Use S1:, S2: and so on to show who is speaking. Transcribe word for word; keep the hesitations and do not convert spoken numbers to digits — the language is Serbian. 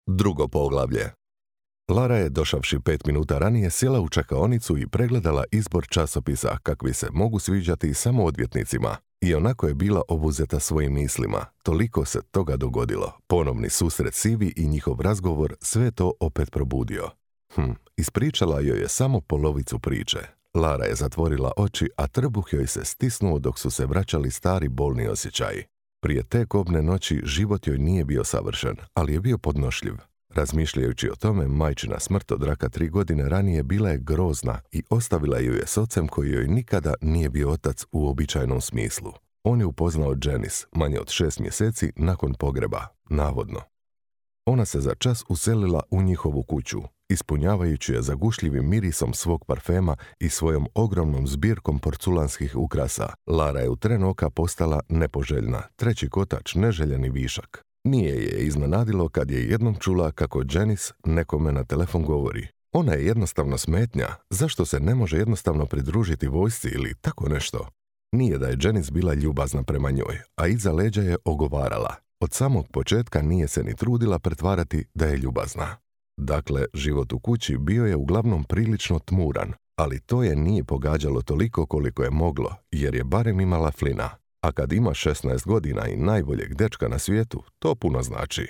S1: Drugo poglavlje. Lara je, došavši pet minuta ranije, sjela u čekaonicu i pregledala izbor časopisa kakvi se mogu sviđati samo odvjetnicima. I onako je bila obuzeta svojim mislima. Toliko se toga dogodilo. Ponovni susret Sivi i njihov razgovor sve to opet probudio. Hm, ispričala joj je samo polovicu priče. Lara je zatvorila oči, a trbuh joj se stisnuo dok su se vraćali stari bolni osjećaji. Prije te kobne noći život joj nije bio savršen, ali je bio podnošljiv. Razmišljajući o tome, majčina smrt od raka tri godine ranije bila je grozna i ostavila ju je s ocem koji joj nikada nije bio otac u običajnom smislu. On je upoznao Janice manje od šest mjeseci nakon pogreba, navodno. Ona se za čas uselila u njihovu kuću, ispunjavajući je zagušljivim mirisom svog parfema i svojom ogromnom zbirkom porculanskih ukrasa. Lara je u tren oka postala nepoželjna, treći kotač, neželjeni višak. Nije je iznenadilo kad je jednom čula kako Janice nekome na telefon govori. Ona je jednostavno smetnja, zašto se ne može jednostavno pridružiti vojsci ili tako nešto? Nije da je Janice bila ljubazna prema njoj, a iza leđa je ogovarala. Od samog početka nije se ni trudila pretvarati da je ljubazna. Dakle, život u kući bio je uglavnom prilično tmuran, ali to je nije pogađalo toliko koliko je moglo, jer je barem imala Flina. A kad ima šesnaest godina i najboljeg dečka na svijetu, to puno znači.